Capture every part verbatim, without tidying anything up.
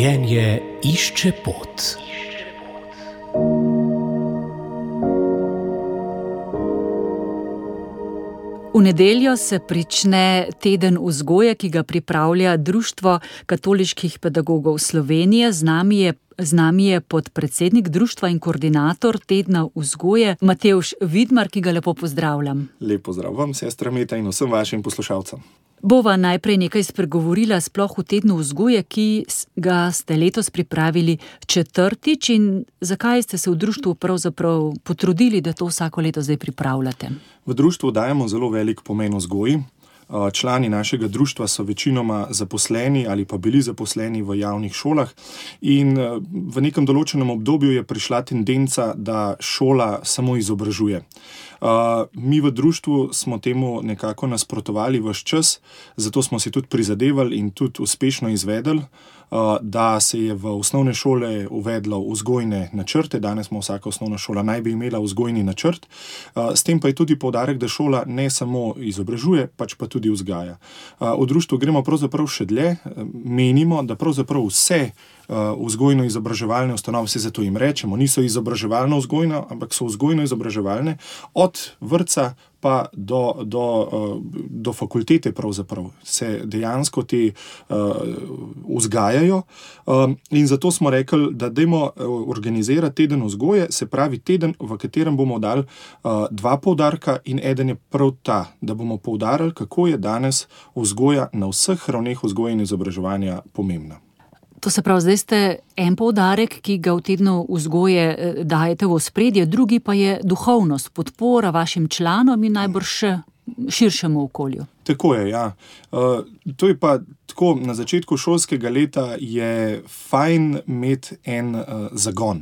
Življenje išče pot. V nedeljo se prične teden vzgoje, ki ga pripravlja Društvo katoliških pedagogov Slovenije. Z nami je, z nami je podpredsednik društva in koordinator tedna vzgoje Matevž Vidmar, ki ga lepo pozdravljam. Lep pozdrav vam, sestra Meta, in vsem vašim poslušalcem. Bova najprej nekaj spregovorila sploh v tednu vzgoje, ki ga ste letos pripravili četrtič, in zakaj ste se v društvu pravzaprav potrudili, da to vsako leto zdaj pripravljate? V društvu dajemo zelo velik pomen vzgoji. Člani našega društva so večinoma zaposleni ali pa bili zaposleni v javnih šolah in v nekem določenem obdobju je prišla tendenca, da šola samo izobražuje. Mi v društvu smo temu nekako nasprotovali ves čas, zato smo si tudi prizadevali in tudi uspešno izvedli, da se je v osnovne šole uvedlo vzgojne načrte. Danes smo vsaka osnovna šola naj bi imela vzgojni načrt. S tem pa je tudi poudarek, da šola ne samo izobražuje, pač pa tudi vzgaja. V društvu gremo pravzaprav še dlje. Menimo, da pravzaprav vse vzgojno-izobraževalne ustanove, se zato jim rečemo, niso izobraževalno-vzgojno, ampak so vzgojno-izobraževalne, od vrtca pa do, do, do fakultete pravzaprav se dejansko te uh, vzgajajo. Um, in zato smo rekli, da dajmo organizirati teden vzgoje, se pravi teden, v katerem bomo dali uh, dva poudarka, in eden je prav ta, da bomo poudarili, kako je danes vzgoja na vseh ravneh vzgoje in izobraževanja pomembna. To se pravi, zdaj ste en poudarek, ki ga v tednu vzgoje dajete v ospredje, drugi pa je duhovnost, podpora vašim članom in najbrž širšemu okolju. Tako je, ja. Uh, to je pa tako, na začetku šolskega leta je fajn imeti en uh, zagon.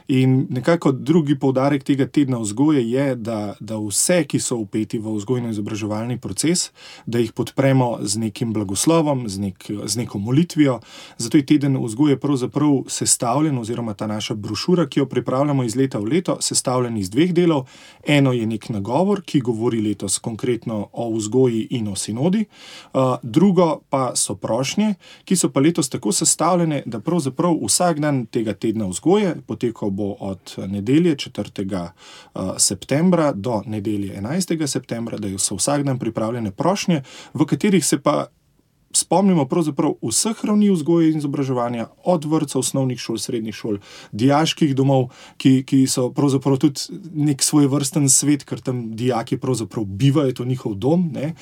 In nekako drugi poudarek tega tedna vzgoje je, da, da vse, ki so vpeti v vzgojno-izobraževalni proces, da jih podpremo z nekim blagoslovom, z, nek, z neko molitvijo. Zato je teden vzgoje pravzaprav sestavljen, oziroma ta naša brošura, ki jo pripravljamo iz leta v leto, sestavljen iz dveh delov. Eno je nek nagovor, ki govori letos konkretno o vzgoji in o sinodi. Uh, drugo pa so prošnje, ki so pa letos tako sestavljene, da pravzaprav vsak dan tega tedna vzgoje potekal bo od nedelje četrtega septembra do nedelje enajstega septembra, da so vsak dan pripravljene prošnje, v katerih se pa spomnimo pravzaprav vseh ravni vzgoje in izobraževanja, od vrtcev, osnovnih šol, srednjih šol, dijaških domov, ki, ki so pravzaprav tudi nek svojevrsten svet, ker tam dijaki pravzaprav bivajo, to njihov dom, ne.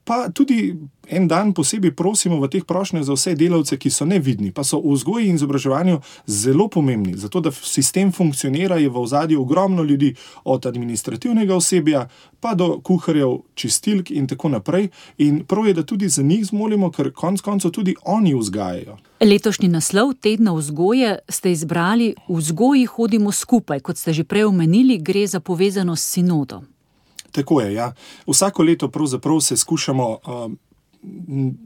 Pa tudi en dan posebej prosimo v teh prošnjah za vse delavce, ki so nevidni, pa so v vzgoji in izobraževanju zelo pomembni. Zato, da sistem funkcionira, je v ozadju ogromno ljudi, od administrativnega osebja pa do kuharjev, čistilk in tako naprej. In prav je, da tudi za njih zmolimo, ker konec koncev tudi oni vzgajajo. Letošnji naslov tedna vzgoje ste izbrali V vzgoji hodimo skupaj. Kot ste že prej omenili, gre za povezanost s sinodom. Tako je, ja. Vsako leto pravzaprav se skušamo uh,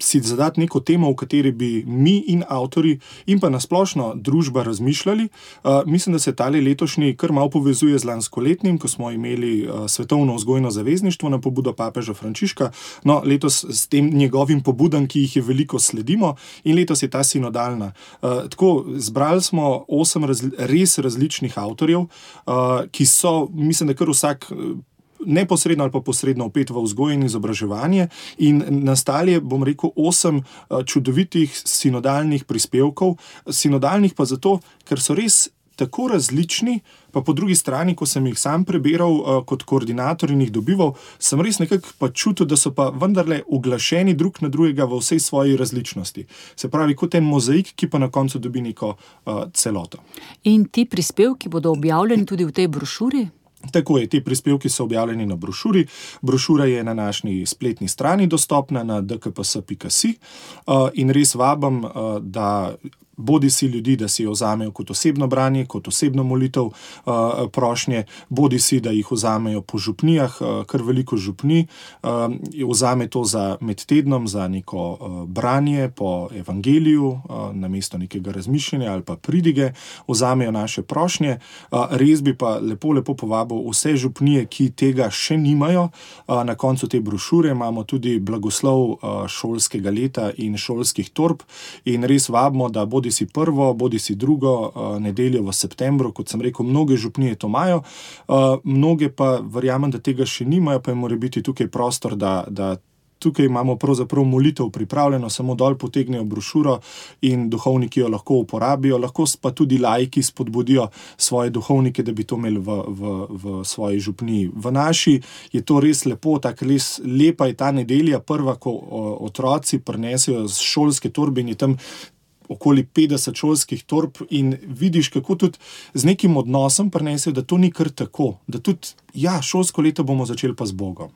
si zadati neko temo, v kateri bi mi in avtori in pa nasplošno družba razmišljali. Uh, mislim, da se tale letošnji kar malo povezuje z lanskoletnim, ko smo imeli uh, svetovno vzgojno zavezništvo na pobudo papeža Frančiška. No, letos s tem njegovim pobudam, ki jih je veliko, sledimo, in letos je ta sinodalna. Uh, tako, zbrali smo osem razli- res različnih avtorjev, uh, ki so, mislim, da kar vsak neposredno ali pa posredno vpet v vzgojo in izobraževanje, in nastali je, bom rekel, osem čudovitih sinodalnih prispevkov. Sinodalnih pa zato, ker so res tako različni, pa po drugi strani, ko sem jih sam prebiral kot koordinator in jih dobival, sem res nekako pa čutil, da so pa vendarle uglašeni drug na drugega v vsej svoji različnosti. Se pravi, kot en mozaik, ki pa na koncu dobi neko uh, celoto. In ti prispevki bodo objavljeni tudi v tej brošuri? Tako je, te prispevki so objavljeni na brošuri. Brošura je na naši spletni strani dostopna na d k p s pika si in res vabim, da bodi si ljudi, da si jo vzamejo kot osebno branje, kot osebno molitev uh, prošnje, bodi si, da jih vzamejo po župnijah, uh, kar veliko župni, uh, vzame to za med tednom, za neko uh, branje po evangeliju, uh, namesto nekega razmišljanja ali pa pridige, vzamejo naše prošnje. Uh, res bi pa lepo, lepo povabil vse župnije, ki tega še nimajo. Uh, na koncu te brošure imamo tudi blagoslov uh, šolskega leta in šolskih torb in res vabimo, da bodi bodi si prvo, bodi si drugo uh, nedeljo v septembru, kot sem rekel, mnoge župnije to imajo, uh, mnoge pa verjamem, da tega še nimajo, pa je mora biti tukaj prostor, da, da tukaj imamo pravzaprav molitev pripravljeno, samo dol potegnejo brošuro in duhovniki jo lahko uporabijo, lahko pa tudi laiki spodbudijo svoje duhovnike, da bi to imeli v, v, v svoji župniji. V naši je to res lepo, tako res lepa je ta nedelja, prva, ko o, otroci prinesejo z šolske torbe in je tam okoli petdeset šolskih torb in vidiš, kako tudi z nekim odnosom prinesejo, da to ni kar tako, da tudi, ja, šolsko leto bomo začeli pa z Bogom.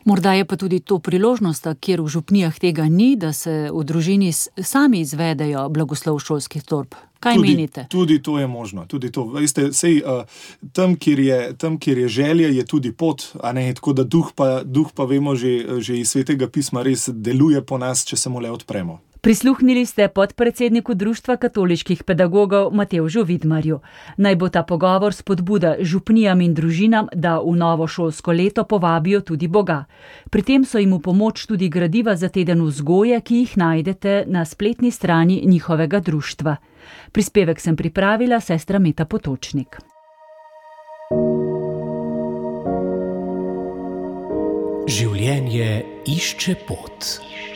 Morda je pa tudi to priložnost, kjer v župnijah tega ni, da se v družini sami izvedejo blagoslov šolskih torb. Kaj tudi, menite? Tudi to je možno. Tudi to. Veste, sej, uh, tam, kjer je, tam, kjer je želja, je tudi pot, a ne, tako da duh pa, duh pa vemo že, že iz Svetega pisma res deluje po nas, če se mu le odpremo. Prisluhnili ste podpredsedniku Društva katoliških pedagogov Matevžu Vidmarju. Naj bo ta pogovor spodbuda župnijam in družinam, da v novo šolsko leto povabijo tudi Boga. Pri tem so jim v pomoč tudi gradiva za teden vzgoje, ki jih najdete na spletni strani njihovega društva. Prispevek sem pripravila sestra Meta Potočnik. Življenje išče pot.